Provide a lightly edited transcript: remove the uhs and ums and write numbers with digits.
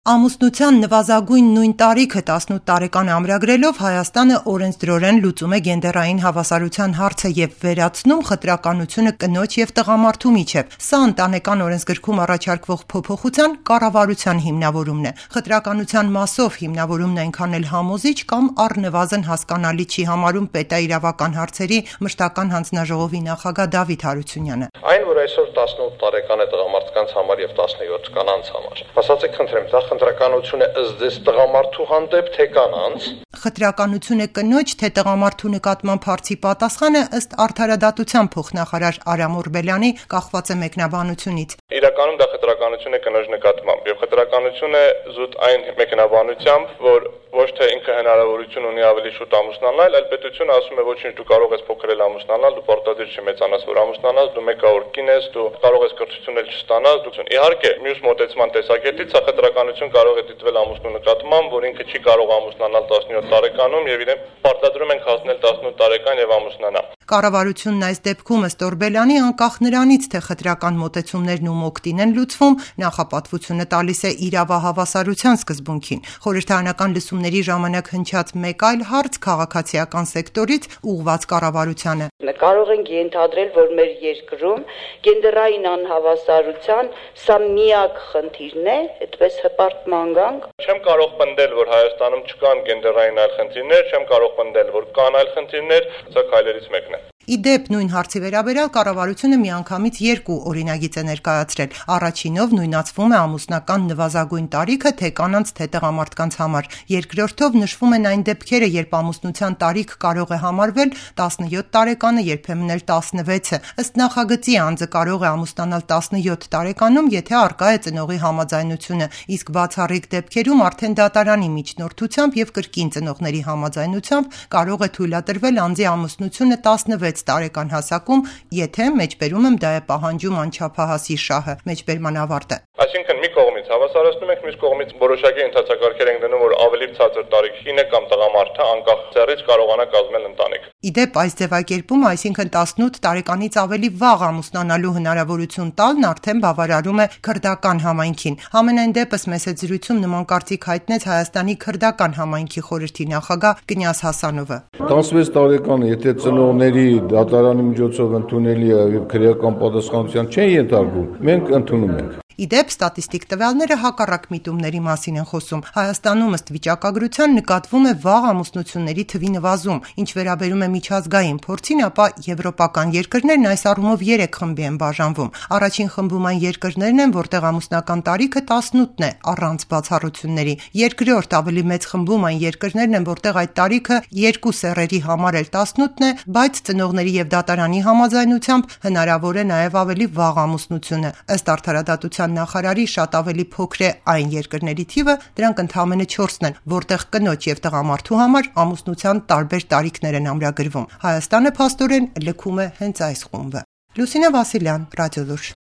Ամուսնության նվազագույն նույն տարիքը 18 տարեկան ամրագրելով Հայաստանը օրենսդրորեն լուծում է գենդերային հավասարության հարցը եւ վերացնում խտրականությունը կնոջ եւ տղամարդու միջեւ։ Սա ընտանեկան օրենսգրքում առաջարկվող փոփոխության կառավարության հիմնավորումն է։ Խտրականության մասով հիմնավորումն այնքան էլ համոզիչ կամ առնվազն հասկանալի չի համարում պետաիրավական հարցերի մշտական հանձնաժողովի նախագահ Դավիթ Հարությունյանը։ Այն, որ այսօր 18 տարեկան է տղամարդկանց համար եւ 17 կանանց համար։ Ասացեք, խնդրեմ, դա խտրականություն է ըստ ձեզ տղամարդու հանդեպ թե կանանց։ Խտրականություն է կնոջ թե տղամարդու նկատմամբ հարցի պատասխանը ըստ Արդարադատության փոխնախարար Արամ Օրբելյանի կախված է մեկնաբանությունից։ Իրականում դա խտրականություն է կնոջ նկատմամբ եւ խտրականություն է զուտ այն մեկնաբանությամբ, որ ոչ թե ինքը հնարավորություն ունի ավելի շուտ ամուսնանալ, այլ պետությունը ասում է ոչինչ, դու կարող ես փոքրել ամուսնանալ, դու պարտադիր չմեծանաս, որ ամուսնանաս, դու մեկավոր կին ես, դու կարող ես կրթություն էլ չստանաս, դու իհարկե մյուս մոտեցման տեսակետից սա խտրականություն կարող է դիտվել ամուսնու նկատմամբ, որ ինքը չի կարող ամուսնանալ 17 տարեկանում եւ իրեն պարտադրում են հասնել 18 տարեկան եւ ամուսնանալ։ Կառավարությունն այս դեպքում ըստ Օրբելյանի անկախ նրանից, թե խտրական մոտեցումներն ու մոկտին են լուծվում, նախապատվությունը տալիս է իրավահավասարության սկզբունքին։ Խորհրդարանական լսումների ժամանակ հնչած մեկ այլ հարց քաղաքացիական սեկտորից ուղղված կառավարությանը։ Կարող ենք ենթադրել, որ մեր երկրում գենդերային անհավասարության սա միակ խնդիրն է, այդպես հպարտ գանք։ Չեմ կարող պնդել, որ Հայաստանում չկան գենդերային այլ խնդիրներ, չեմ կարող պնդել, որ կան այլ խնդիրներ, սա քայլերից մեկն է։ Իդեպ նույն հարցի վերաբերյալ կառավարությունը միանգամից երկու օրինագիծ է ներկայացրել։ Առաջինով նույնացվում է ամուսնական նվազագույն տարիքը թե կանանց թե տղամարդկանց համար։ Երկրորդով նշվում են այն դեպքերը, երբ ամուսնության տարիք կարող է համարվել 17 տարեկանը, երբեմն էլ 16-ը։ Ըստ նախագծի անձը կարող է ամուսնանալ 17 տարեկանում, եթե առկա է ծնողի համաձայնությունը, իսկ բացառիկ դեպքերում արդեն դատարանի միջնորդությամբ եւ կրկին ծնողների համաձայնությամբ կարող է թույլատրվել անձի ամուսնությունը 16 տարեկան հասակում, եթե մեջբերում եմ դա է պահանջում անչափահասի շահը, մեջբերման ավարտը։ Այսինքն մի կողմից հավասարացնում ենք, մյուս կողմից որոշակի ընթացակարգեր ենք դնում, որ ավելի ցածր տարիքին է կամ տղամարդը անկախ ծերից կարողանա կազմել ընտանիք։ Իդեպ այս ձևակերպումը, այսինքն 18 տարեկանից ավելի վաղ ամուսնանալու հնարավորություն տալն արդեն բավարարում է քրդական համայնքին։ Համենայն դեպս մեծ զրույցում նման կարծիք հայտնեց Հայաստանի քրդական համայնքի խորհրդի նախագահ Կնյազ Հասանովը։ 16 տարեկան, եթե ծնողների դատարանի միջոցով ընդունելի է եւ քրեական պատասխանատվության չեն ենթարկվում, մենք ընդունում ենք։ Իդեպ ստատիստիկ տվյալները հակառակ միտումների մասին են խոսում։ Հայաստանում ըստ վիճակագրության նկատվում է վաղ ամուսնությունների թվի նվազում, ինչ վերաբերում է միջազգային փորձին, ապա եվրոպական երկրներն այս առումով 3 խմբի են բաժանվում։ Առաջին խմբում այն երկրներն են, որտեղ ամուսնական տարիքը 18-ն է, առանց բացառությունների։ Երկրորդ ավելի մեծ խմբում այն երկրներն են, որտեղ այդ տարիքը երկու սեռերի համար էլ 18-ն է, բայց ծնողների եւ դատարանի համաձայնությամբ հնարավոր է նաեւ ավելի վաղ ամուսնությունը։ Ըստ Արդարադատության նախարարի շատ ավելի փոքր է այն երկրների թիվը, դրանք ընդամենը 4-ն են, որտեղ կնոջ եւ տղամարդու համար ամուսնության տարբեր տարիքներ են ամրագրվում։ Հայաստանը փաստորեն լքում է հենց այս խումբը։ Լուսինե Վասիլյան, Ռադիոլուր։